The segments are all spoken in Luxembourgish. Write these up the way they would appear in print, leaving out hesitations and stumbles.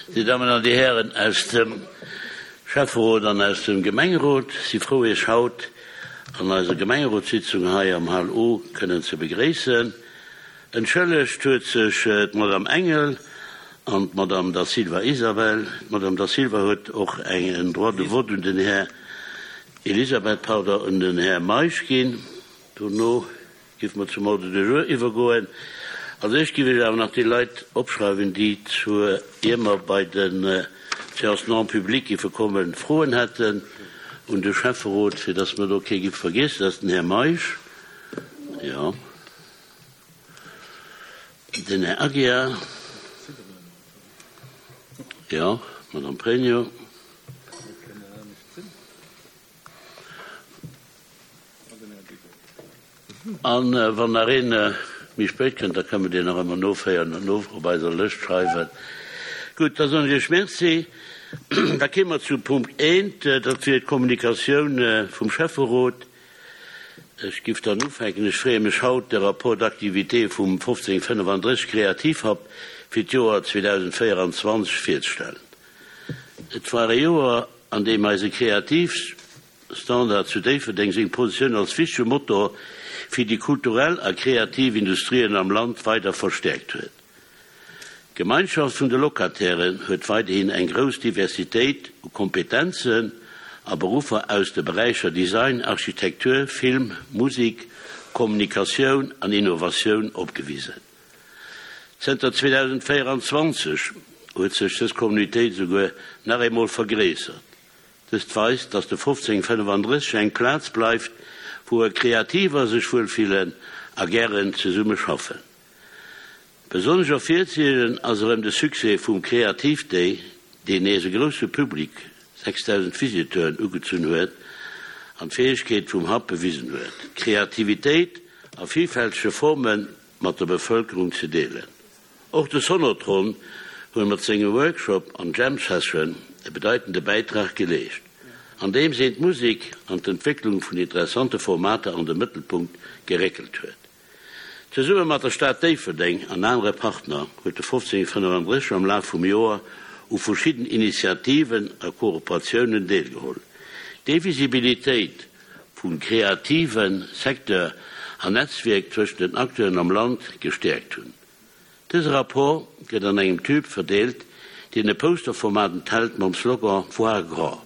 Dir Dammen an Dir Hären aus dem Schäfferot an aus dem Gemengerot, si frou Iech haut an eiser Gemengerotssitzung hei am Hall O kënnen ze begréissen. Entschëllegt huet sech d'Madame Engel an d'Madame Da Silva Isabel. D'Madame Da Silva huet och eng en Droit de vote un den Här Elisabeth, pardon, un den Här Meisch ginn. Dono Géife mer zum Ordre du jour iwwergoen. Als éischt géif ech awer nach déi Leit opschreiwen, déi zur, ier mer bei de Séances non publiques géife kommen, Froen hätten un de Schäfferot, fir dass mer do kee géife vergiessen. Dat ass den Här Meisch, jo, den Här Aguiar, jo, d'Madame Pregno. A wann nach een méi spéit kënnt, da kënne mer deen nach ëmmer noféieren an op eiser Lëscht schreiwen. Gutt, da soen ech Iech Merci. Da kéime mer zu Punkt eent, dat wier d'Kommunikatioun vum Schäfferot. Ech giff dann ufänken. Ech freeë mech haut, de Rapport d'activité vum 1535 Kreativhub fir d'Joer 2024 virzestellen. Et war e Joer, an deem eise Kreativ. Standard zu Déifferdeng seng Positioun als wichtege Motor fir déi kulturell a kreativ Industrien am Land weider verstäerkt huet. D'Gemeinschaft vun de Locatairen huet weiderhin eng grouss Diversitéit u Kompetenzen a Beruffer aus de Beräicher Design, Architektur, Film, Musek, Kommunikatioun an Innovatioun opgewisen. Zënter 2024 huet sech dës Communautéit esouguer nach eemol vergréissert. Dëst weist, dass de 1535 eng Plaz bleift, wou Kreativer sech wuelfillen a gären zesumme schaffen. Besonnesch ervirzehiewen ass erëm de Succès vum Kreativ Day, deen nees e grousse Public, 6.000 Visiteuren, ugezunn huet an d'Fäegkeet vum Hub bewisen huet, Kreativitéit a villfältege Forme mat der Bevëlkerung ze deelen. Och de Sonotron huet mat sengem Workshop an Jam Session e bedeitende Bäitrag geleescht, andeems een d'Musek an d'Entwécklung vun interessante Formater an de Mëttelpunkt geréckelt huet. Zesumme mat der Stad Déifferdeng an anere Partner huet de 1535 am Laf vum Joer u verschidden Initiativen a Kooperatiounen deelgeholl, déi Visibilitéit vum kreative Secteur an Netzwierk tëschent den Acteuren am Land gestäerkt hunn. Dëse Rapport gëtt an engem Tube verdeelt, deen e Posterformat enthält mam Slogan Voir grand.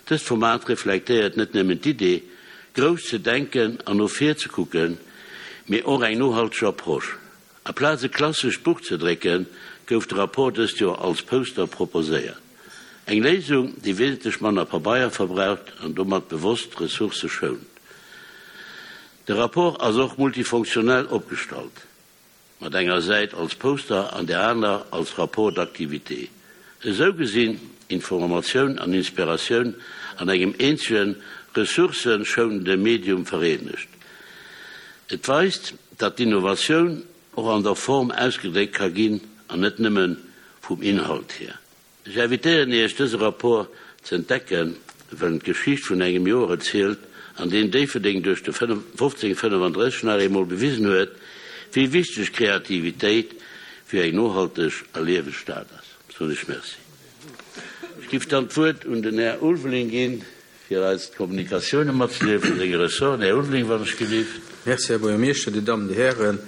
Dëst Format reflektéiert net nëmmen d'Idee, grouss ze denken an no vir ze kucken, mee och eng nohalteg Approche. Aplaz e klassescht Buch ze drécken, gouf de Rapport dëst Joer als Poster proposéiert. Eng Léisung, déi wesentlech manner Pabeier verbraucht an domat bewosst Ressourcë schount. De Rapport ass och multifonctionnel opgestallt, mat enger Säit als Poster an där aner als Rapport d'activité. Esou gesinn Informatioun an Inspiratioun an engem eenzegen, ressourcëschounende Medium vereenegt. Et weist, datt d'Innovatioun och an der Form ausgedréckt ka ginn an net nëmme vum Inhalt hier. Ech invitéieren Iech, dëse Rapport ze entdecken, well en d'Geschicht vun engem Joer erzielt, an deem Déifferdeng duerch de 1535 nach eemol bewisen huet, wéi wichteg Kreativitéit fir eng nohalteg a lieweg Stad ass. Soen ech Merci. Ech giff dann d'Wuert un den Här Ulveling ginn, fir eis d'Kommunikatioune matzedeele vun senge Ressorten. Här Ulveling, wann ech gelift. Merci, Här Buergermeeschter, Dir Dammen, Dir Hären.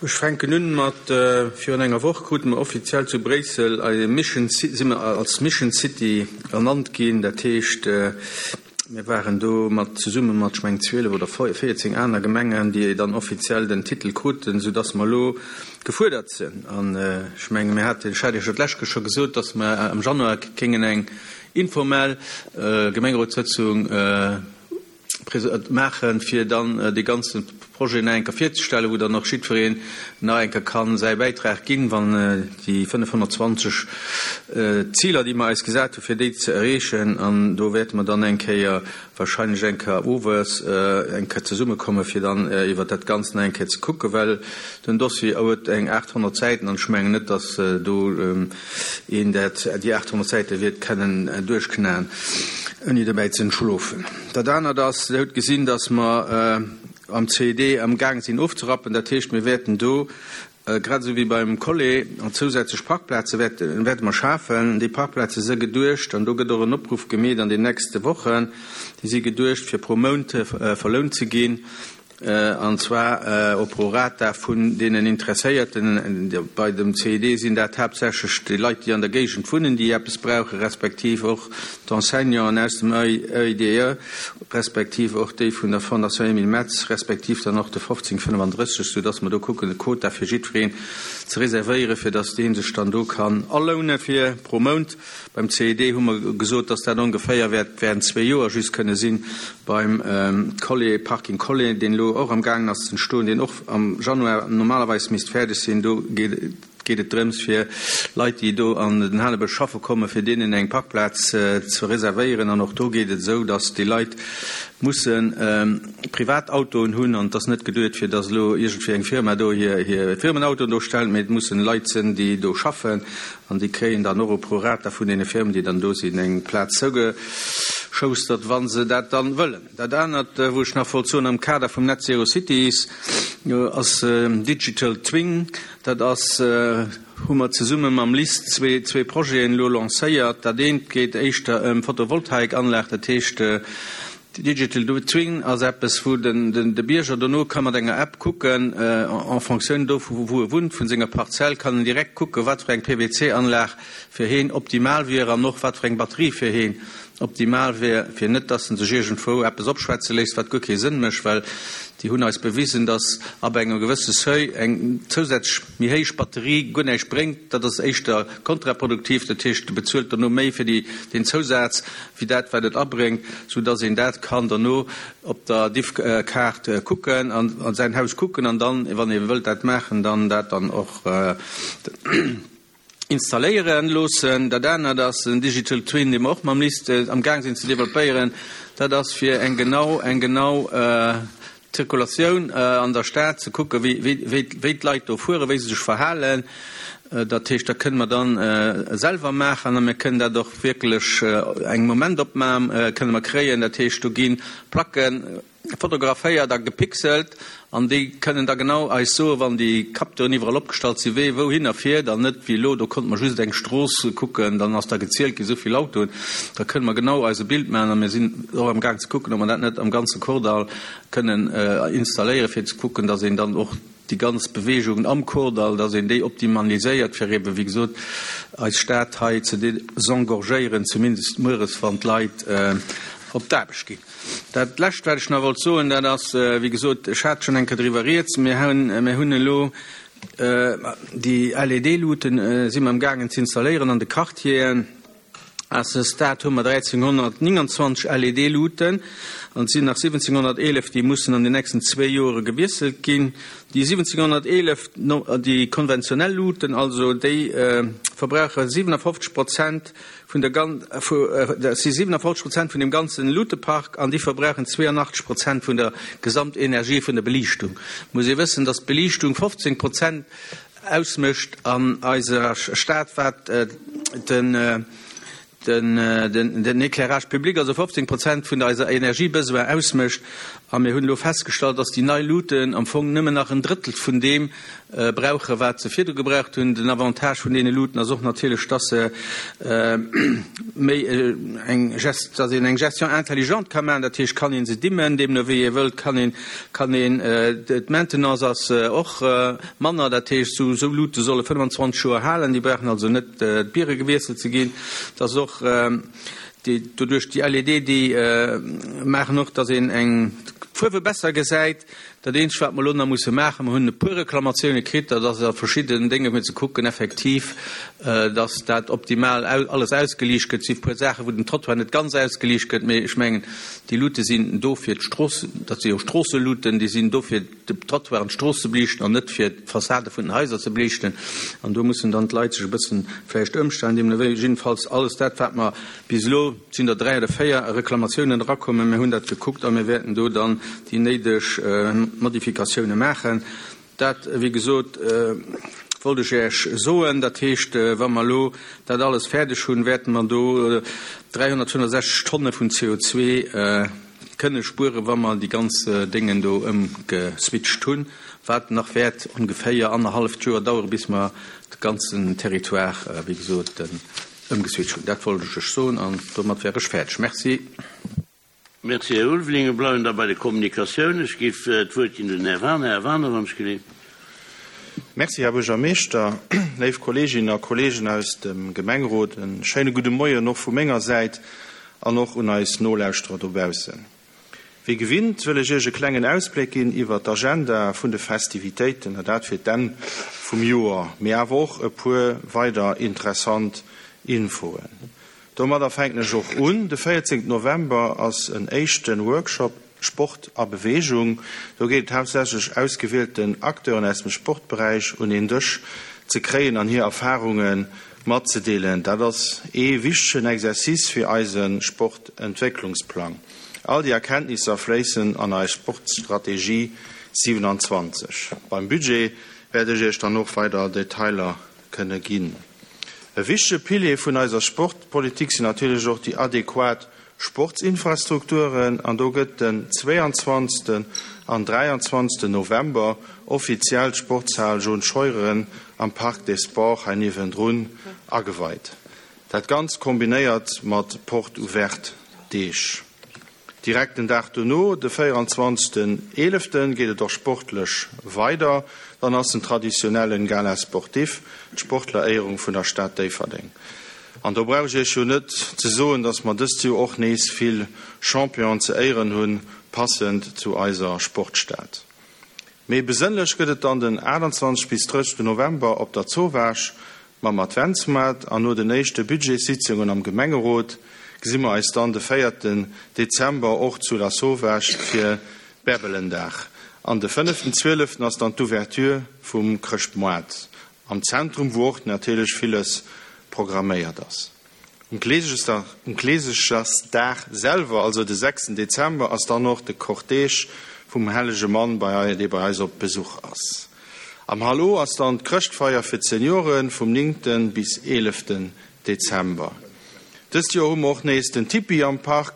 Ech fänken un mat, Virun enger Woch krute mer offiziell zu Bréissel eise Mission, si mer als Mission City ernannt ginn. Dat heescht, Mir waren do mat zesumme mat, ech mengen, 12 oder 14 aner Gemengen, déi dann offiziell den Titel kruten, soudass mer elo gefuerdert sinn. An ech menge mir haten, ech hat Iech jo d'lescht Kéier scho gesot, dass mer am Januar kéingen eng informell Gemengerotssëtzung maachen, fir dann dee ganze Projet nach eng Kéier virzestellen, wou dann och jiddwereen nach eng Kéier ka säi Bäitrag ginn, wann déi 520 Ziler, déi mer eis gesat hu fir déi ze erreechen. An do wäerte mer dann eng Kéier wahrscheinlech eng Kéier owes eng Kéier zesummekomme fir dann iwwert dat Ganzt nach eng Kéier ze kucken, well den Dossier huet eng 800 Säiten an ech mengen net, datt do een dat déi 800 Säite wäert kennen duerchknaen, ouni dobäi ze entschlofen. Dat anert ass, Dir hutt gesinn, datt mer am CED amgaang sinn ofzerappen. Dat heescht, mir wäerten do. Grad esou wéi beim Collet, an zousätzlech Parkplaze wäerte mer schafen. Déi Parkplaze si geduecht, an do gëtt och en Opruff gemeet an den nächste Wochen, déi si geduecht fir pro Mount verlount ze ginn, an zwar au prorata vun deenen Interesséierten. Bei dem CID sinn dat haaptsächlech déi Leit, déi an der Géigend wunnen, déi eppes brauchen, respektiv och d'Enseignanten aus dem EIDE. Respektiv och déi vun der Fondation Emile Metz, respektiv dann och de 1535, soudass mer do kucken, e Quota fir jiddwereen ze reservéieren, fir dass dee sech dann do kann aloune fir pro Mount. Beim CED hu mer gesot, dass dat ongeféier wäert während zwee Joer just kënne sinn. Beim Collet, Parking Collet, deen elo och amgaangen ass ze entstoen, deen och am Januar normalerweis misst fäerdeg sinn, do geet, geet et drëms fir Leit, déi do an den Hanebësch schaffe kommen, fir deenen eng Parkplaz ze reservéieren. An och do geet et esou, datt déi Leit musse privat Autoen hunn. An et ass net geduet, fir datt elo iergendwéi eng Firma do hir Firmenautoen do stellt, mee et mussen Leit sinn, déi do schaffen. An déi kréien dann och au prorata vun deene Firmen, déi dann do sinn, eng Plaz zougeschoustert, wa se dat dann wëllen. Dat anert, wou ech nach wollt soen am Kader vum Net Zero Cities, ass Digital Twin. Dat ass, hu mer zesumme mam LIST zwee Projeten elo lancéiert. Dat eent geet éischter ëm Photovoltaikanlag, dat heescht Digital Twin ass eppes, wou de Bierger dono ka mat enger App kucken, en fonctioun dovu wou e wunnt, vun senger Parzell, kann en direkt kucken, wat fir eng PWC-Anlag fir heen optimal wier an och wat fir eng Batterie fir heen Optimal wär, fir net dass en sech iergendwou eppes opschwätze léisst, wat guer kee Sënn mécht, well déi hunn eis bewisen, dass ab engem gewësse Seuil eng zousätzlech méi héich Batterie guer näischt bréngt. Dat ass éischter kontraproduktiv, dat heescht, e bezuelt dono méi fir déi, deen Zousaz, wéi dat, wat et abréngt, soudass een dat kann dono op der Diffkaart kucken an a säin Haus kucken an dann, wann ee wëllt dat maachen, dann dat dann och. Installéieren loossen. Dat anert ass en Digital Twin, dee mer och mam LIST am Gaang sinn ze developpéieren. Dat ass fir eng genau, eng genau Zirkulatioun an der Stad ze kucken, wéi, wéi, wéi d'Leit do fueren, wéi se sech verhalen. Dat heescht, dat kënne mer dann selwer maachen a mir kënnen dat och wierklech eng Momentopnam kënne mer kréien. Dat heescht, do gi Placken Fotograféiert a gepixelt an déi kënnen da genau eis soen, wann déi Capteuren iwwerall opgestallt sinn, wee wouhinner fiert an net wéi elo, do konnte mer just eng Strooss kucken, dann ass da gezielt ginn, esou vill Autoen. Da kënne mer genau eis e Bild maachen a mir sinn och am Gaang ze kucken, ob mer dat net am ganze Kordall kënnen installéieren, fir ze kucken, dass een dann och déi ganz Beweegungen am Kordall, dass een déi optimaliséiert, fir ebe wéi gesot eis Stad hei ze desengorgéieren, zumindest mueres, wann d'Leit op d'Aarbecht ginn. Dat Lescht, wat ech nach wollt soen, dat ass, wéi gesot, ech hat schonn eng Kéier driwwer rieds, mir hunn, mir hunn elo déi LED-Luuten si mer amgaangen ze installéieren an de Quartieren. À ce stade hu mer 1.329 LED-Luuten an et sinn nach 1.711, déi mussen an den nächsten zwéi Jore gewiesselt ginn. Déi 1.711, déi konventionell Luuten also, déi verbrauche 57 Prozent vun der gan dat si 57 Prozent vun dem ganzen Lutepark an déi verbrauchen 82 Prozent vun der Gesamtenergie vun der Beliichtung. Muss ee wëssen, dass d'Beliichtung 15 Prozent ausmécht an eiser Stad, wat den den Éclairage public, also 15 Prozent vun eiser Energiebesoin ausmécht. A mir hunn elo festgestallt, dass déi nei Luten am Fong nëmmen nach en Drëttel vun deem brauche wat se virdu gebraucht hunn. Den Avantage vun deene Luuten ass och natierlech, dass se méi eng, dass een eng Gestion intelligente ka maachen. Dat heescht, kann ee se dimmen, deemno wéi ee wëllt, kann een, kann een, d'Maintenance ass och manner. Dat heescht, esou, esou Luute solle 25 Joer halen, déi brauchen also net d'Biere gewiesselt ze ginn. Et ass och déi, doduerch déi LED, déi maachen och, dass een eng d'Fuerwe besser gesäit. Dat eenzegt, wat mer elo nach musse maachen, mer hunn e puer Reklamatioune kritt, dat ass a verschidden Dénge fir ze kucken effektiv, dass dat optimal alles ausgeliicht gëtt. Et si e puer Saachen, wou den Trottoir net ganz ausgeliicht gëtt, mee ech mengen, déi Luute sinn do fir d'Strooss, dat si jo Stroosseluten, déi sinn do fir de Trottoir an d'Strooss ze beliichten an net fir d'Fassade vun den Haiser ze beliichten. An do mussen dann d'Leit sech e bëssen vläicht ëmstellen. Deemno wéi jiddefalls alles dat, wat mer Bis elo sinn der 3 oder 4 Reklamatiounen erakommen. Mir hunn dat gekuckt a mir wäerten do dann déi néideg Modifikatioune maachen. Dat, wéi gesot, wollt ech Iech soen. Dat heescht, wa mer elo dat alles fäerdeg hunn, wäerte mer do 365 Tonne vun CO2. kënne spueren, wa mer déi ganz Déngen do ëmgeswitcht hunn, wat nach wäert ongeféier annerhalleft Joer dauere bis mer de ganzen Territoire, wéi gesot, ëmgeswitcht hunn. Dat wollt ech lech soen an domat wär ech fäerdeg. Merci. Merci, Här Ulveling. Mir bleiwen da bei de Kommunikatiounen. Ech géif d'Wuert ginn un den Här Waner. Här Waner, wann ech geleent. Merci, Här Buergermeeschter. Léif Kolleeginnen a Kolleegen aus dem Gemengerot, e schéine gudde Moien och vu menger Säit an och un eis Nolauschterer dobaussen. Wéi gewinnt wëll ech Iech e klengen Ausbléck ginn iwwert d'Agenda vun de Festivitéiten, a dat fir d'Enn vum Joer, mee awer och e puer weider interessant Infoen. Domadder fänken ech och un. De 14 November ass en éischte Workshop Sport a Beweegung. Do geet et haaptsächlech ausgewielten Acteuren aus dem Sportberäich un een Dësch ze kréien an hir Erfarunge matzedeelen. Dat ass ee wichtegen Exercice fir eise Sportentwécklungsplang. All déi Erkenntnisser fléissen an eis Sportstrategie 27. Beim Budget wäert ech Iech dann och weider Detailer kënne ginn. E wichtege Pilier vun eiser Sportpolitik sinn natierlech och déi adequat Sportsinfrastrukturen an do gëtt den 22. an 23. November offiziell d'Sportshal Jaune Scheuren am Parc des Sports hei niewendrun ageweit. Dat Ganzt kombinéiert mat Porte ouverte Deeg. Direkt den Dag dono, de 24 eeleften, geet et och sportlech weider. Dann ass den traditionellen Gala sportif, d'Sportleréierung vun der Stad Déifferdeng. An do brauch ech Iech jo net ze soen, dass mer dëst Joer och nees vill Championen ze éieren hunn, passend zu eiser Sportstad. Méi besënnlech gëtt et dann den 28 bis 30 November op der Zowaasch Mam Adventsmoart an no den éischte Budgetssitzungen am Gemengerot gesi mer eis dann de véierten Dezember och zu Lasauvage fir Bärbelendag. An de fënneften zwieleften ass dann d'Ouverture vum Chrëschtmoart am Zentrum, wou och natierlech villes programméiert ass. Um Kleesechersdag selwer, also de sechsten Dezember, ass dann och de Cortège vum hellege Mann, dee bei eis op Besuch ass. Am Hall O ass dann d'Chrëschtfeier fir d'Seniore vum néngte bis eeleften Dezember. Dëst Joer hu mer och nees den Tipi am Park,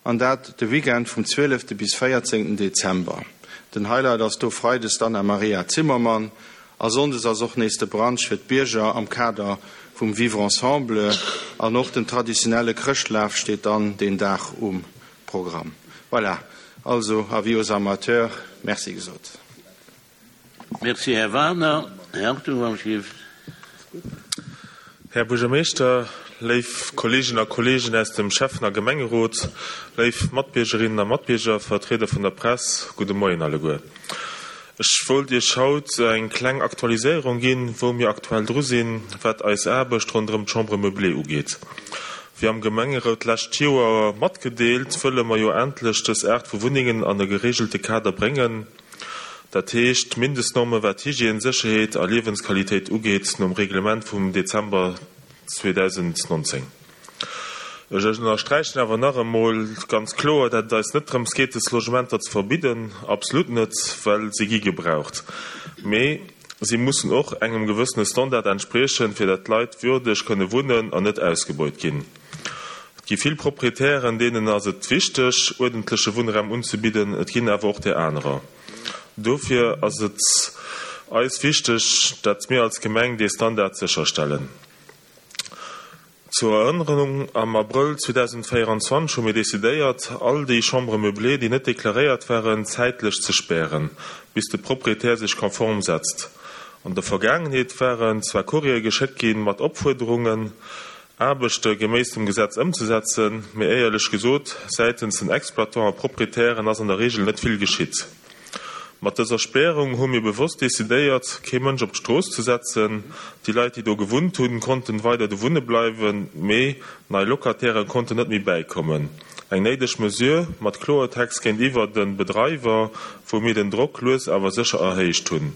an dat de Weekend vum zwielefte bis véierzéngten Dezember. Den Highlight ass do freides d'Anna Maria Zimmermann A sonndes ass och nees de Brunch fir d'Bierger am Kader vum Vivre ensemble an och den traditionelle Chrëschtlaf steet dann deen Dag um Programm. Voilà, also avis aux amateurs, Merci gesot. Merci, Här Wagener. Här Hartung, wann ech géif. Här Buergermeeschter, léif Kolleeginnen a Kolleegen aus dem Schäffen a Gemengerot, léif Matbiergerinnen a Matbierger, Vertrieder vun der Press, gudde Moien alleguer. Ech wollt Iech haut eng kleng Aktualiséierung ginn, wou mir aktuell dru sinn, wat eis Aarbecht ronderëm d'Chambre meublée ugeet. Wéi am Gemengerot d'lescht Joer matgedeelt, wëlle mer jo endlech dës Aart vu Wunnengen an e gereegelte Kader bréngen, dat heescht Mindestnorme wat Hygiène, Sécherheet a Liewensqualitéit ugeet, nom Reglement vum Dezember 2019. Ech ënnersträichen awer nach emol ganz kloer, dat et eis net drëms geet, des Logementer ze verbidden, absolut net, well se gi gebraucht. Mee si mussen och engem gewëssene Standard entspriechen, fir dat d'Leit würdeg kënne wunnen an net ausgebeut ginn. Et gi vill Proprietären, deenen ass et wichteg, uerdentleche Wunnraum unzebidden, et ginn awer och där anerer. Dofir ass et eis wichteg, dat mir als Gemeng dee Standard sécherstellen. Zur Erënnerung, Am Abrëll 2024 hu mir decidéiert, all déi Chambres meublées, déi net deklaréiert waren, zäitlech ze spären, bis de Proprietär sech konform setzt. An der Vergaangenheet waren zwar Courriere geschéckt gi mat Opfuerderungen, Aarbechte geméiss dem Gesetz ëmzesetzen, mee éierlech gesot, säitens den Exploitants a Proprietären ass an der Reegel net vill geschitt. Mat dëser Spärung hu mir bewosst decidéiert, kee Mënsch op d'Strooss ze setzen. Déi Leit, déi do gewunnt hunn, konnten weider do wunne bleiwen, mee nei Locataire konnten net méi bäikommen. Eng néideg Mesure, mat Kloertext géintiwwer de Bedreiwer, wou mir den Drock lues awer sécher erhéicht hunn.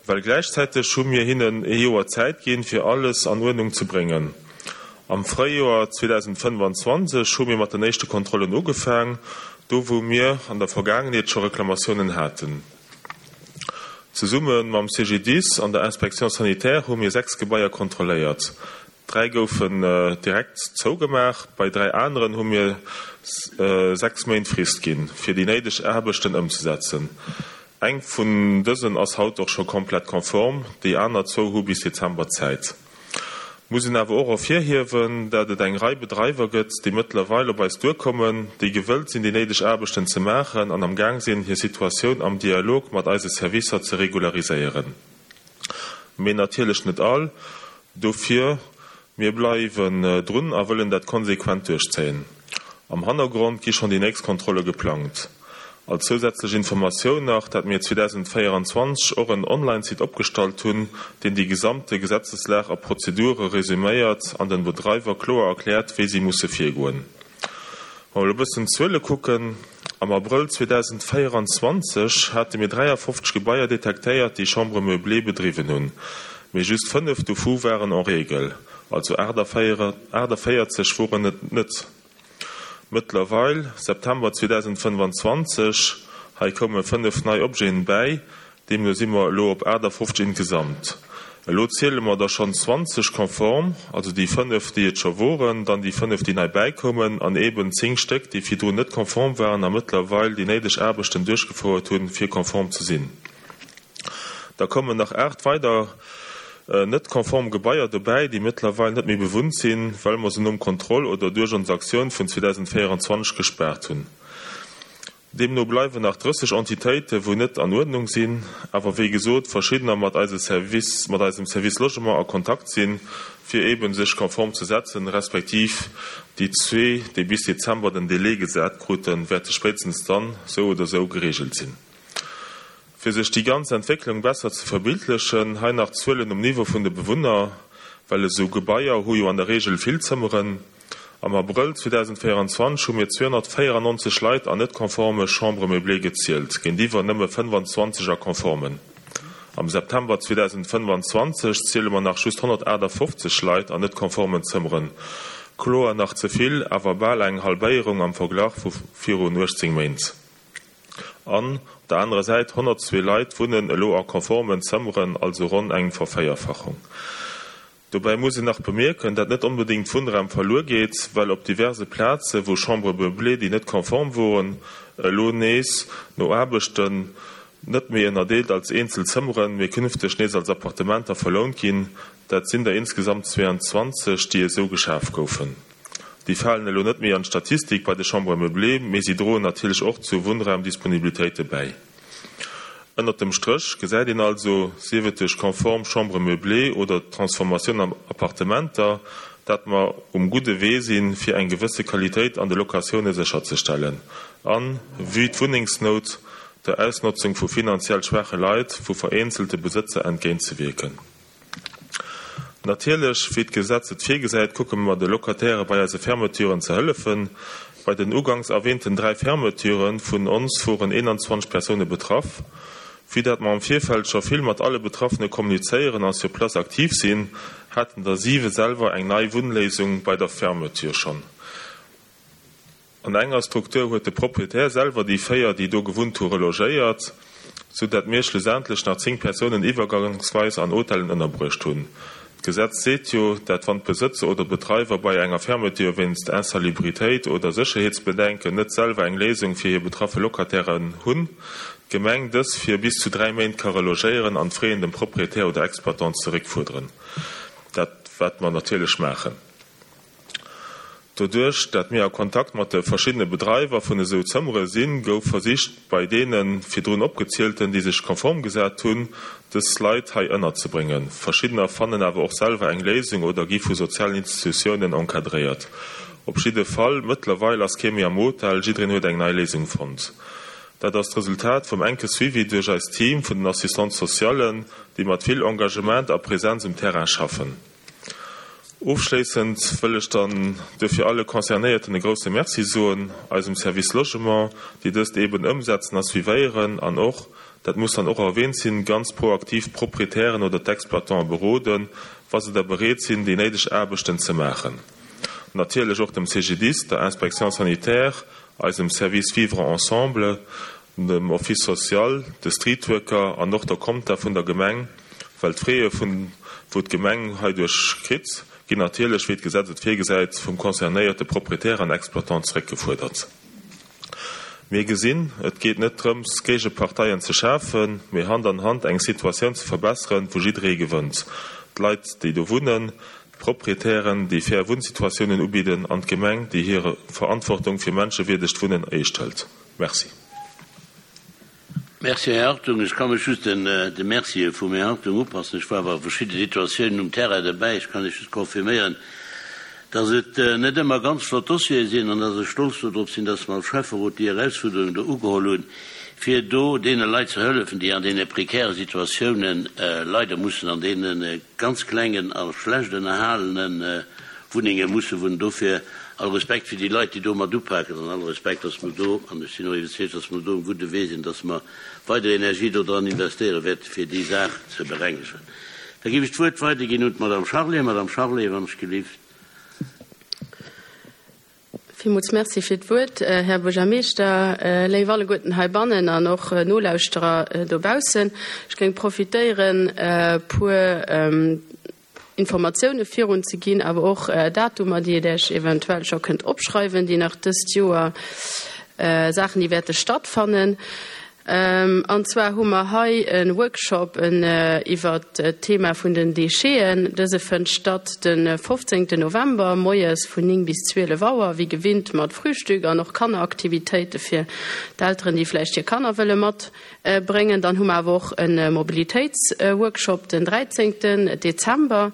Well gläichzäiteg hu mir hinnen ee Joer Zäit ginn, fir alles an Uerdnung ze bréngen. Am Fréijoer 2025 hu mir mat den éischte Kontrollen ugefaang, do wou mir an der Vergaangenheet scho Reklamatiounen haten. Zesumme mam CGDIS an der Inspection sanitaire hu mir 6 Gebaier kontrolléiert. 3 goufen direkt zougemaach, bei 3 aneren hu mir 6 Méint Frist ginn, fir déi néideg Aarbechten ëmzesetzen. Eng vun dësen ass haut och scho komplett konform, déi aner zwou hu bis Dezember Zäit. Muss een awer och ervirhiewen, dat et eng Rei Bedreiwer gëtt, déi mëttlerweil op eis duerkommen, déi gewëllt sinn, déi néideg Aarbechten ze maachen an am Gaang sinn, hir Situatioun am Dialog mat eise Servicer ze regulariséieren. Mee natierlech net all. Dofir, mir bleiwen drun a wëllen dat konsequent duerchzéien. Am Hannergrond gi schonn déi nächst Kontrolle geplangt. Als zousätzlech Informatioun nach, dat mir 2024 och en Online-Site opgestallt hunn, deen déi gesamte Gesetzeslag a Prozedure resuméiert an den Bedreiwer kloer erkläert, wéi si musse virgoen. Wa mer elo e bëssen d'Zuele kucken, Am Abrëll 2024 hate mir 53 Gebaier detektéiert, déi Chambres meublées bedriwwen hunn, mee just 5 dovu waren en règle, also 48 woren et net. Mëttlerweil, September 2025, hei koume 5 nei Objeten bäi, Deemno si mer elo op 58 ingesamt. Elo ziele mer der schonn 20 konform, also déi 5, déi et scho woren, dann déi 5, déi nei bäikoumen, an eeben 10 Stéck, déi virdrun net konform waren a mëttlerweil déi néideg Aarbechten duerchgefouert hunn, fir konform ze sinn. Da kommen nach 8 weider net konform Gebaier dobäi, déi mëttlerweil net méi bewunnt sinn, well mer se nom Contrôle oder duerch ons Aktioun vun 2024 gespaart hunn. Deemno bleiwen nach 30 Entitéite wou net an Uerdnung sinn, awer wéi gesot verschiddener mat eise Service, mat eisem Service Logement a Kontakt sinn, fir eeben sech konform ze setzen, respektiv déi zwee, déi bis Dezember den Délai gesat kruten, wäerte spéitstens dann sou oder sou geregelt sinn. Fir sech déi ganz Entwécklung besser ze verbildlechen, hei nach d'Zuelen um Niveau vun de Bewunner, well esou Gebaier hu jo an der Regel vill Zëmmeren. Am Abrëll 2024 hu mir 294 Leit an net konforme Chambres meublées gezielt, géintiwwer nëmme 25 a konformen. Am September 2025 ziele mer nach just 158 Leit an net konformen Zëmmeren. Kloer nach ze vill, awer bal eng Halbéierung am Verglach vu virun 18 Méint. An, op der anerer Säit, 102 Leit wunnen elo a konformen Zëmmeren, also ronn eng Vervéierfachung. Dobäi muss een nach bemierken, dat net onbedéngt Wunnraum verluer geet, well op diverse Plaze wou Chambres meublées, déi net konform woren, elo nees no Aarbechten net méi ënnerdeelt als eenzel Zëmmeren, mee künfteg nees als Appartementer verlount ginn. Dat sinn der insgesamt 22, déi esou geschaf goufen. Déi falen elo net méi an d'Statistik bei de Chambres meublées, mee si droen natierlech och zu Wunnraumdisponibilitéite bäi. Ënnert dem Stréch gesäit een also, sief et duerch konform Chambres meublées oder d'Transformatioun an Appartementer, dat mer um gudde Wee sinn, fir eng gewësse Qualitéit an de Locatioune sécherzestellen an, vue d'Wunnengsnout, der Ausnotzung vu finanziell schwaache Leit vu vereenzelte Besëtzer entgéintzewierken. Natierlech, wéi d'Gesetz et virgesäit, kucke mer de Locataire bei eise Fermeturen ze hëllefen. Bei den uganks erwähnten 3 Fermeture vun ons woren 21 Persoune betraff. Vue dat mer am Virfeld scho vill mat alle Betraffene kommunizéieren a sur place aktiv sinn, haten der 7 selwer eng nei Wunnléisung bei der Fermeture schonn. An enger Struktur huet de Proprietär selwer déi 4, déi do gewunnt hu, relogéiert, sou dat mir schlussendlech nach 10 Persounen iwwergangsweis an Hotellen ënnerbruecht hunn. D'Gesetz seet jo, dat wann d'Besëtzer oder d'Bedreiwer bei enger Fermeture wéinst Insalubritéit oder Sécherheetsbedenken net selwer eng Léisung fir hir betraffe Locatairen hunn, d'Gemeng dës fir bis zu 3 Méint ka relogéieren an d'Fraien dem Proprietär oder Exploitant zeréckfuerderen. Dat wat mer natierlech maachen. Doduerch, dat mir a Kontakt mat de verschiddene Bedreiwer vun esou Zëmmere sinn, gouf versicht, bei deene virdrun opgezielten, déi sech konform gesat hunn, dës Leit hei ënnerzebréngen. Verschiddener fannen awer och selwer eng Léisung oder gi vu sozialen Institutiounen encadréiert. Op jidde Fall, mëttlerweil ass kee méi am Hotel, jiddereen huet eng nei Léisung fonnt. Dat ass d'Resultat vum enke Suivi duerch eist Team vun den Assistantes socialen, déi mat vill Engagement a Präsenz um Terrain schaffen. Ofschléissend wëll ech dann duerfir alle Concernéierten e grouse Merci soen, eisem Service Logement, déi dëst eeben ëmsetzen a suivéieren an och, dat muss dann och erwähnt sinn, ganz proaktiv d'Proprietären oder d'Exploitante beroden, wa se da bereet sinn, déi néideg Aarbechten ze maachen. Natierlech och dem CGDIS, der Inspection sanitaire, eisem Service Vivre ensemble, dem Office social, de Streetworker an och der Compta vun der Gemeng, well d'Fraie vun wou d'Gemeng heiduerch kritt. ginn natierlech, wéi d'Gesetz et virgesäit, vum concernéierte Proprietär an Exploitant zeréckgefuerdert. Mir gesinn, et geet net drëms, Géigeparteien ze schafen, mee Hand an Hand eng Situatioun ze verbesseren, wou jidderee gewënnt, d'Leit, déi do wunnen, d'Proprietären, déi fair Wunnsituatiounen ubidden, an d'Gemeng, déi hir Verantwortung fir menschewierdegt Wunnen eescht hëlt. Merci. Merci, Här Hartung. Ech ka mech just de Mercië vum Här Hartung upassen. Ech war awer a verschidde Situatiounen um Terrain derbäi. Ech kann lech just confirméieren, dass et net ëmmer ganz flott Dossiere sinn an dass ech stolz dodrop sinn, dass mer als Schäfferot déi Erausfuerderung do ugeholl hunn, fir do deene Leit ze hëllefen, déi an deene prekäre Situatiounen leider mussen an deene ganz klengen a schlecht ënnerhalene Wunnenge musse wunnen. Dofir all Respekt fir déi Leit, déi do mat upaken, an all Respekt, dass mer do, an ech sinn och iwwerzeegt, dass mer do um gudde Wee sinn, dass mer weider Energie do dran investéiere wäerte fir déi Saach ze berengegen. Da géif ech d'Wuert weiderginn un d'Madame Charlé. Madame Charlé, wann ech gelift. Villmools Merci fir d'Wuert, Här Buergermeeschter, léif alleguerten heibannen an och Nolauschterer dobaussen. Ech géing profitéieren, e puer Informatioune virun ze ginn, awer och Datumer, déi Dir Iech eventuell scho kënnt opschreiwen, déi nach dëst Joer Saachen, déi wäerte stattfannen. An zwar hu mer hei e Workshop iwwert d'Thema vun den Décheten. Dëse fënnt statt de 15 November moies vun 9 bis 12 Auer, wéi gewinnt mat Frühstück an och Kanneraktivitéite fir d'Elteren, déi vläicht hir Kanner wëlle mat Bréngen. Dann hu mer awer och e Mobilitéitsworkshop den 13 Dezember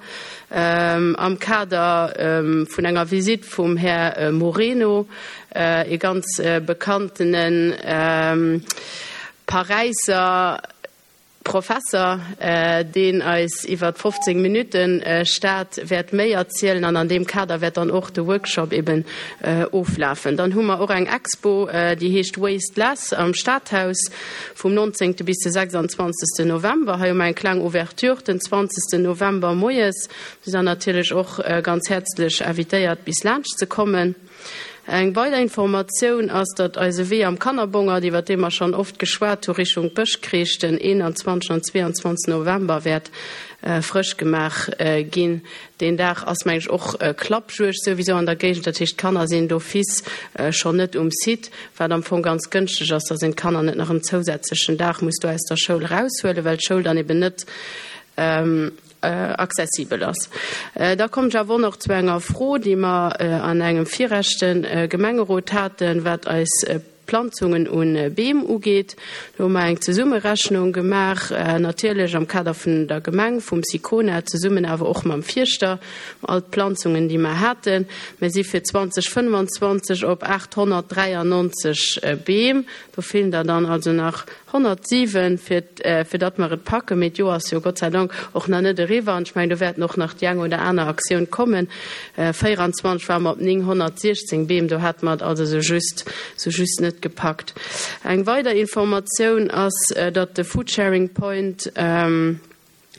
am Kader vun enger Visitt vum Här Moreno, ee ganz bekanntene Paräisser Professer, deen eis iwwer 15 Minutten Stad wäert méi erzielen. An an deem Kader wäert dann och de Workshop eben oflafen. Dann hu mer och eng Expo, déi heescht Waste Less am Stadhaus vum 19. bis de 26. November. Hei hu mer eng kleng Ouverture den 20. November moies. Dir sidd natierlech och ganz häerzlech invitéiert bis laanscht ze kommen. Eng weider Informatioun ass, datt eise Wee am Kannerbongert, iwwer dee mer schonn oft geschwat hu, Richtung Bëschkreech den 21 an 22 November wäert frësch gemaach ginn. Deen Dag ass meng ech och Klappjuegd souwisou an der Géigend, dat heescht d'Kanner sinn d'office schonn net um Site, wat am Fong ganz gënschteg ass, dass een d'Kanner net nach en zousätzlechen Dag muss do aus der Schoul eraushuelen, well d'Schoul dann eben net accessibel ass. Da kommt ech awer och nach zu enger Fro, déi mer an engem virechte Gemengerot haten, wat eis Planzungen un Beem ugeet. Do hu mer eng Zesummerechnung gemaach, natierlech am Kader vun der Gemeng, vum Sicona, zesummen awer och mam Fierschter, all d'Planzungen, déi mer haten. Mir si fir 2025 op 893 Beem. Do feelen der dann also nach 107, fir, fir datt mer et packen. Mee d'Joer ass jo Gott sei Dank och nach net eriwwer an ech mengen, do wäerten och nach déi eng oder aner Aktioun kommen. 24 ware mer op 916 Beem, do hate mer et also sou just, sou just net gepackt. Eng weider Informatioun ass, datt de Foodsharing Point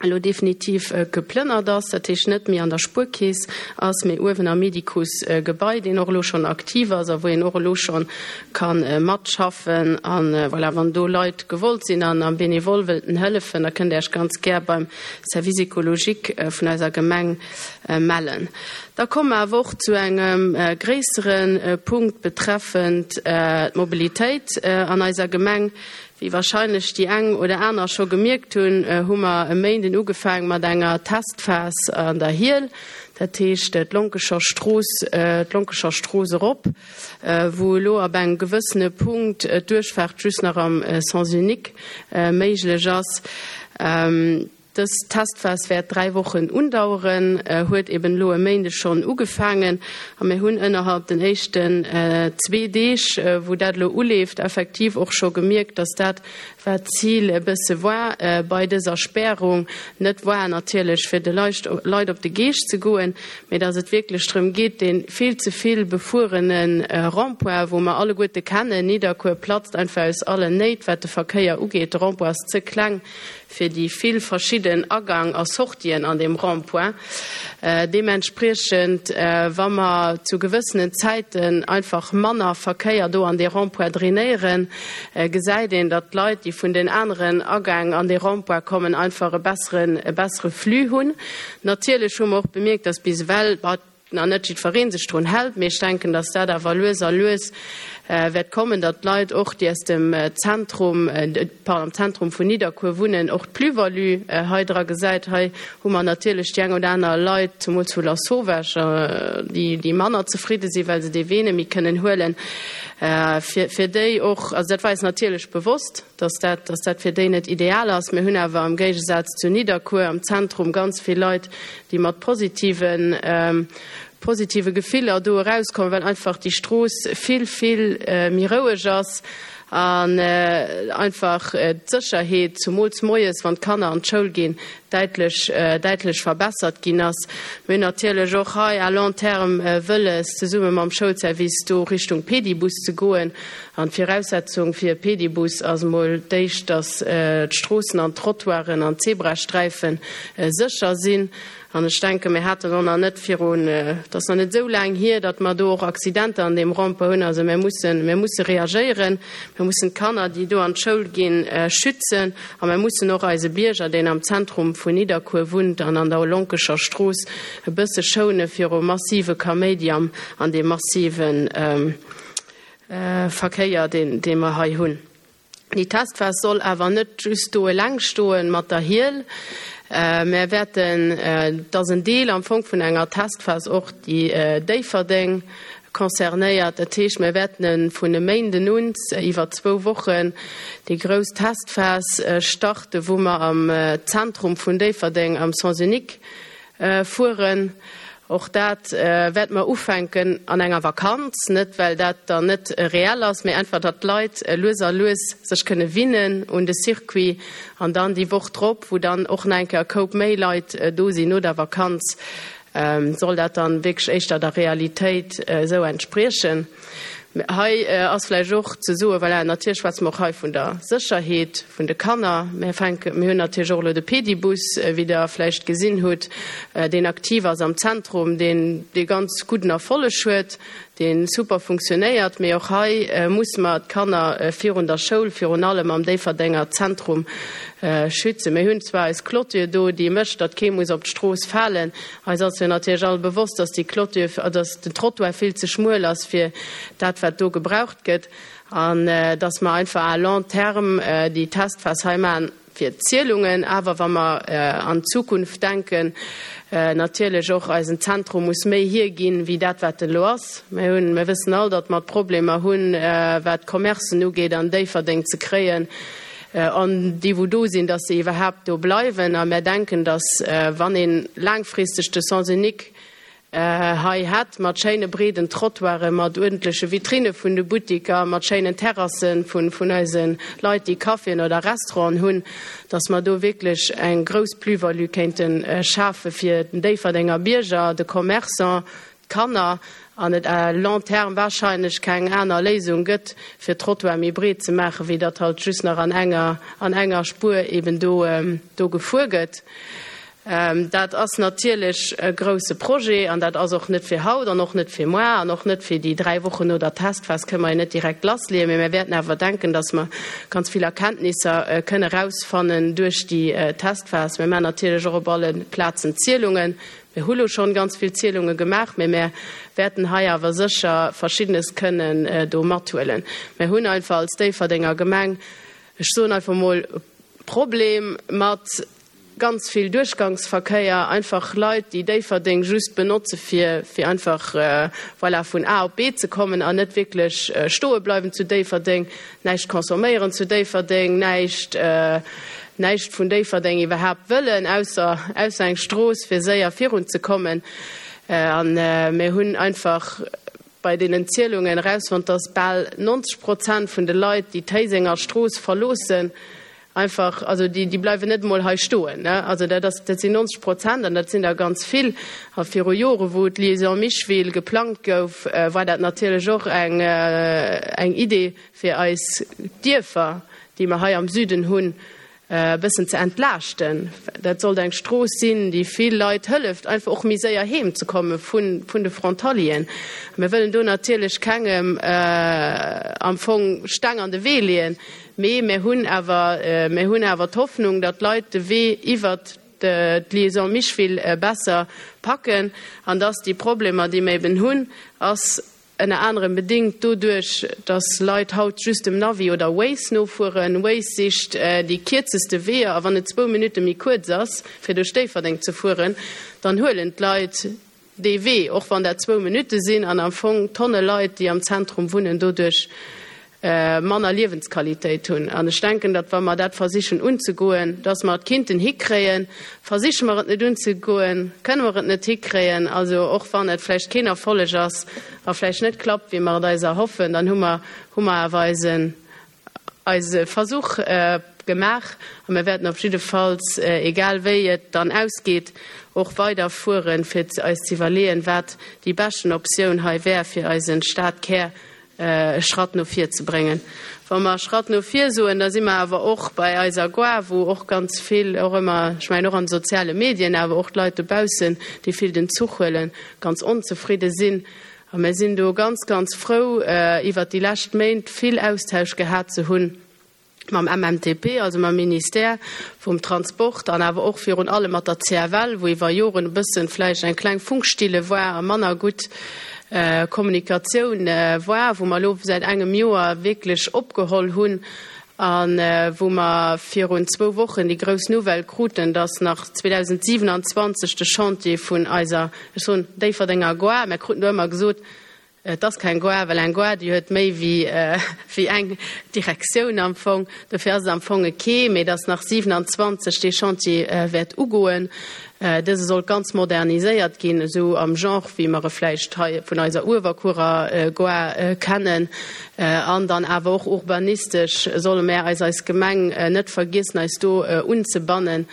elo definitiv geplënnert ass, dat heescht net méi an der Spuerkeess ass, mee uewen am Medicus-Gebai, deen och elo schonn aktiv ass a wou een och elo scho ka matschaffen. A voilà, wann do Leit gewollt sinn an am Benevole wëllten hëllefen, da kënnt Där Iech ganz gär beim Service écologique vun eiser Gemeng mellen. Da komme mer awer och zu engem gréissere Punkt betreffend d'Mobilitéit an eiser Gemeng. Wéi wahrscheinlech déi eng oder aner scho gemierkt hunn, hu mer e Méinden ugefaang mat enger Testphas an der Hiel, dat heescht d'Lonkescher Strooss, d'Lonkescher Strooss erop, wou elo ab engem gewëssene Punkt d'Duerchfaart just nach am Sens unique méiglech ass. Dës Testphas wäert 3 Wochen undaueren, huet eben elo e Méindeg schonn ugefaangen a mir hunn ënnerhalb den éischten zwee Deeg, wou dat elo uleeft, effektiv och scho gemierkt, dass dat, wat d'Zil e bësse war bei dëser Spärung, net war natierlech fir de Leit op de Geescht ze goen, mee dass et wierklech drëm geet, dee vill ze vill befuerene Rond-point, wou mer alleguerte kennen, Nidderkuer platzt einfach aus allen Néit, wat de Verkéier ugeet, de Rond-point ass ze kleng, fir déi vill verschidde. verschidden Agang a Sortien an deem Rond-point. Deementspriechend, wa mer zu gewëssenen Zäiten einfach manner Verkéier do an dee Rond-point drainéieren, gesäit een, datt d'Leit, déi vun den aneren Agäng an dee Rond-point kommen, einfach e besseren, e bessere Flux hunn. Natierlech hu mer och bemierkt, datt bis ewell nach net jiddweree sech drun hält, mee ech denken, datt dat awer lues a lues wäert kommen, datt d'Leit och, déi aus dem Zentrum, pardon, am Zentrum vun Nidderkuer wunnen, och d'Plus-value hei dra gesäit. Hei hu mer natierlech déi eng oder aner Leit, zemools vu Lasauvage, déi, déi manner zefridde sinn, well se dee Wee net méi kënnen huelen. Fir, fir déi och, also dat war eis natierlech bewosst, datt dat, datt dat fir déi net ideal ass. Mir hunn awer am Géigesaz zu Nidderkuer am Zentrum ganz vill Leit, déi mat positiven, positive Gefiller do erauskommen, well einfach déi Strooss vill, vill méi roueg ass an einfach d'Sécherheet, zumools moies, wann d'Kanner an d'Schoul ginn, däitlech, däitlech verbessert ginn ass. Mir hunn natierlech och hei à long terme wëlles, zesumme mam Schoulservice do Richtung Pedibus ze goen. An d'Viraussetzung fir e Pedibus ass emol d'éischt, dass d'Stroossen an d'Trottoiren an d'Zebrasträife sécher sinn. An ech denken, mir haten och nach net virun, et ass nach net esou laang hier, datt mer do och Accidenter an deem Rond-point hunn. Also mir mussen, mir musse reagéieren. Mir mussen d'Kanner, déi do an d'Schoul ginn, schützen. A mir mussen och eise Bierger, deen am Zentrum vun Nidderkuer wunnt an an der Lonkescher Strooss, e bësse schoune viru massive Kaméidi an deem massive Verkéier, dee mer hei hunn. Déi Testphas soll awer net just do eleng stoen mat der Hiel. Mär wäerten, et ass en Deel am Fong vun enger Testphas och déi Déifferdeng concernéiert. Dat heescht, mär wäerten vun e Méinden un iwwer zwou Wochen déi grouss Testphas starten, wou mer am Zentrum vun Déifferdeng am Sens unique Fueren. Och dat wäerte mer ufänken an enger Vakanz, net well dat dann net reell ass, mee einfach datt d'Leit lues a lues sech kënne winnen un de Circuit an dann déi Woch drop, wou dann och nach eng Kéier e Koup méi Leit do sinn no der Vakanz, soll dat dann wierklech éischter der Realitéit esou entspriechen. Hei ass vläicht och ze soen, voilà, natierlech schwätze mer och hei vun der Sécherheet vun de Kanner. Mir fänken, mir hunn natierlech och elo de Pedibus, wéi Der vläicht gesinn hutt, deen aktiv ass am Zentrum, deen dee ganz gudden Erfolleg huet, dee super funktionéiert. Mee och hei musse mer d'Kanner virun der Schoul, virun allem am Déifferdenger Zentrum schützen. Mir hunn zwar eis Clôture do, déi mécht, datt kee muss op d'Strooss falen, Eis ass jo natierlech all bewosst, dass déi Clôture, dass den Trottoir vill ze schmuel ass fir dat, wat do gebraucht gëtt, an dass mer einfach à long terme déi Testphas hei maachen fir d'Zielungen. Awer wa mer an d'Zukunft denken, natierlech och eisen Zentrum muss méi hierginn, wéi dat, wat en elo ass. Mir hunn, mir wëssen all, datt mer Problemer hunn, wat d'Commercen ugeet an Déifferdeng ze kréien. An déi, wou do sinn, dass se iwwerhaapt do bleiwen. A mär denken, dass, wann ee laangfristeg de Sens unique hei hätt, mat schéine breeden Trottoiren, mat uerdentleche Vitrinne vun de Buttiker, mat schéinen Terrasse vun eise Leit, déi Caféen oder Restauranten hunn, dass mer do wierklech eng grouss Plus-value kéinte schafe fir den Déifferdenger Bierger, de Commerçant, d'Kanner an et à long terme wahrscheinlech keng aner Léisung gëtt, fir d'Trottoire méi breet ze maachen, wéi datt halt just nach an enger, an enger Spuer eben do, do gefuer gëtt. Dat ass natierlech e grouse Projet an dat ass och net fir haut an och net fir moar an och net fir déi 3 Wochen no der Testphas kënne mer jo net direkt lassleeën, mee mir wäerten awer denken, datt mer ganz vill Erkenntnisser kënne erausfannen duerch déi Testphas. Mir maachen natierlech och op alle Plazen Zielungen. Mir hu lo schonn ganz vill Zielunge gemaach, mee mär wäerten hei awer sécher Verschiddenes kënnen do mathuelen. Mär hunn einfach als Déifferdenger Gemeng, ech soen einfach mol, e Problem mat ganz vill Duerchgangsverkéier, einfach Leit, déi Déifferdeng just benotze fir fir einfach, voilà, vun A op B ze kommen an net wierklech stoe bleiwen zu Déifferdeng. Näischt consomméieren zu Déifferdeng, näischt, näischt vun Déifferdeng iwwerhaapt wëllen, ausser, ausser eng Strooss, fir séier virunzekommen. An mir hunn einfach bei deenen Zielungen erausfonnt, dass bal 90 Prozent vun de Leit, déi d'Héisenger Strooss verloossen, Einfach, also déi, déi bleiwen net emol hei stoen, ne. Also dat ass, dat sinn 90 Prozent an dat sinn der ganz vill. A viru Jore wou d'Liaison Micheville geplangt gouf, war dat natierlech och eng, eng Idee fir eis Dierfer, déi mer hei am Süden hunn. e bëssen ze entlaaschten. Dat sollt eng Strooss sinn, déi vill Leit hëlleft, einfach och méi séier heem ze komme vun de Frontalieren. Mir wëllen do natierlech kengem am Fong Steng an de Wee leeën, mee mir hunn awer, mir hunn awer d'Hoffnung, datt d'Leit de Wee iwwert d'Liaison Micheville besser packen an datt déi Problemer, déi mir eben hunn, ass Ënner anerem bedéngt doduerch, dass Leit haut just dem Navi oder Waze nofueren. Waze sicht déi kierzeste Weeër a wann et zwou Minutte méi kuerz ass, fir duerch Déifferdeng ze fueren, dann huelen d'Leit dee Wee, och wann dat zwou Minutte sinn an am Fong Tonne Leit, déi am Zentrum wunnen, doduerch manner Liewensqualitéit hunn. An ech denken, datt wa mer dat versichen unzegoen, datt mer et kinnten hikréien. Versiche mer et net unzegoen, kënne mer et net hikréien. Also och wann et vläicht keen Erfolleg ass a vläicht net klappt, wéi mer et eis erhoffen, dann hu mer, hu mer awer eisen, eise Versuch gemaach. A mir wäerten op jiddefalls, egal wéi et dann ausgeet, och weider fueren, fir eis ze iwwerleeën, wat déi beschten Optioun hei wär, fir eise Stadkär e Schratt no vir ze bréngen. Wa mer Schratt no vir soen, da si mer awer och bei eiser Gare, wou och ganz vill, och ëmmer, ech mengen och an de soziale Medien, awer och d'Leit dobaussen, déi vill den Zuch huelen, ganz onzefridde sinn. A mir sinn do ganz, ganz frou, iwwert déi lescht Méint vill Austausch gehat ze hunn. mam MMTP, also mam Ministère vum Transport an awer och virun allem mat der CFL, wou iwwer Joren e bëssen vläicht eng kleng Funkstille war a manner gutt Kommunikatioun war, wou mer elo säit engem Joer wierklech opgeholl hunn a wou mer virun zwou Wochen déi grouss Nouvelle kruten, dass nach 2027 de Chantier vun eiser, ech soen Déifferdenger Gare, mer kruten do ëmmer gesot, Et ass keng Gare, well eng Gare, déi huet méi wéi eng Direktioun am Fong. Dofir ass et am Fong e Quai, mee et ass nach 27 dee Chantier wäert ugoen. Dëse sollt ganz moderniséiert ginn, esou am Genre wéi mer e vläicht hei vun eiser Uewerkuerer Gare kennen. An dann awer och urbanistesch solle mär eis eis Gemeng net vergiessen, eis do unzebannen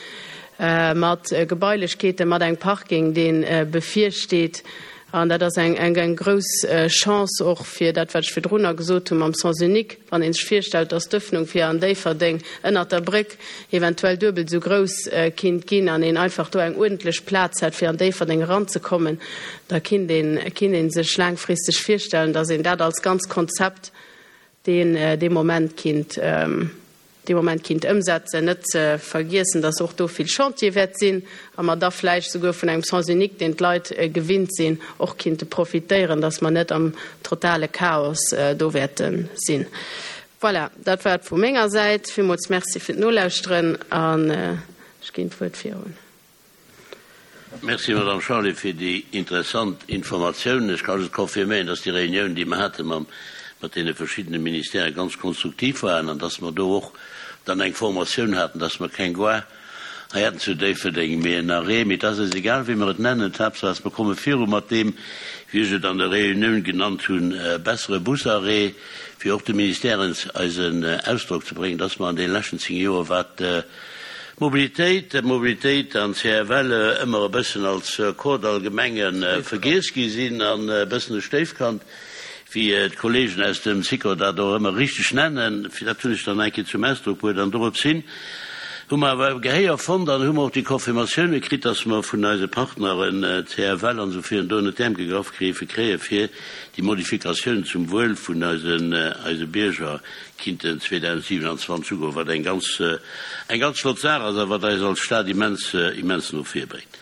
mat Gebailechkeeten, mat engem Parking, dee bevirsteet. An dat ass eng, eng, eng grouss Chance och fir dat, wat ech virdrunner gesot hu mam Sens unique, wann ee sech virstellt, dass d'Öffnung fir an Déifferdeng ënnert der Bréck eventuell duebel esou grouss kinnt ginn an een einfach do eng uerdentlech Plaz hätt, fir an Déifferdeng eranzekommen, da kinnt een, kinnt ee sech laangfristeg virstellen, dass een dat als ganz Konzept deen dee Moment kinnt, dee Moment kinnt ëmsetzen. Net ze vergiessen, dass och do vill Chantier wäert sinn a mer da vläicht souguer vun engem Sens unique, deen d'Leit gewinnt sinn, och kinnte profitéieren, dass mer net am totale Chaos do wäerte sinn. Voilà, dat war et vu menger Säit. Villmools Merci fir d'Nolauschteren an ech ginn d'Wuert virun. Merci, Madame Charlé, fir déi interessant Informatiounen. Ech ka just confirméieren, dass déi Réunioun, déi mer hate mam, mat deene verschiddene Ministèrë ganz konstruktiv waren an dass mer do och dann eng Formatioun haten, dass mer keng Gare hei hätten zu Déifferdeng, mee en Arrêt. Mee et ass eis egal, wéi mer et nennen, d'Haaptsaach ass, mer komme viru mat deem, wéi ech et an der Réunioun genannt hunn, bessere Busarrêt, fir och de Ministèren eisen Ausdrock ze bréngen, dass mer an deene leschten 10 Joer, wat Mobilitéit, Mobilitéit an CFL ëmmer e bëssen als Kordall Gemenge vergiess gi sinn an e bëssen e Stéifkand, wéi d'Kollegen aus dem Sikor dat och ëmmer richteg nennen. Fir dat hunn ech dann eng Kéier zum Ausdrock bruet an dorops hin hu mer awer e Gehéier fonnt an hu mer och déi Confirmatioune kritt, dass mer vun eise Partneren, CFL an esou virun, do ënnert d'Äerm gegraff géife kréie fir déi Modifikatioun zum Wuel vun eise Bierger kinnten 2027 ugoen, wat eng ganz, eng ganz flott Saach ass a wat eis als Stad immens, immens no vir bréngt.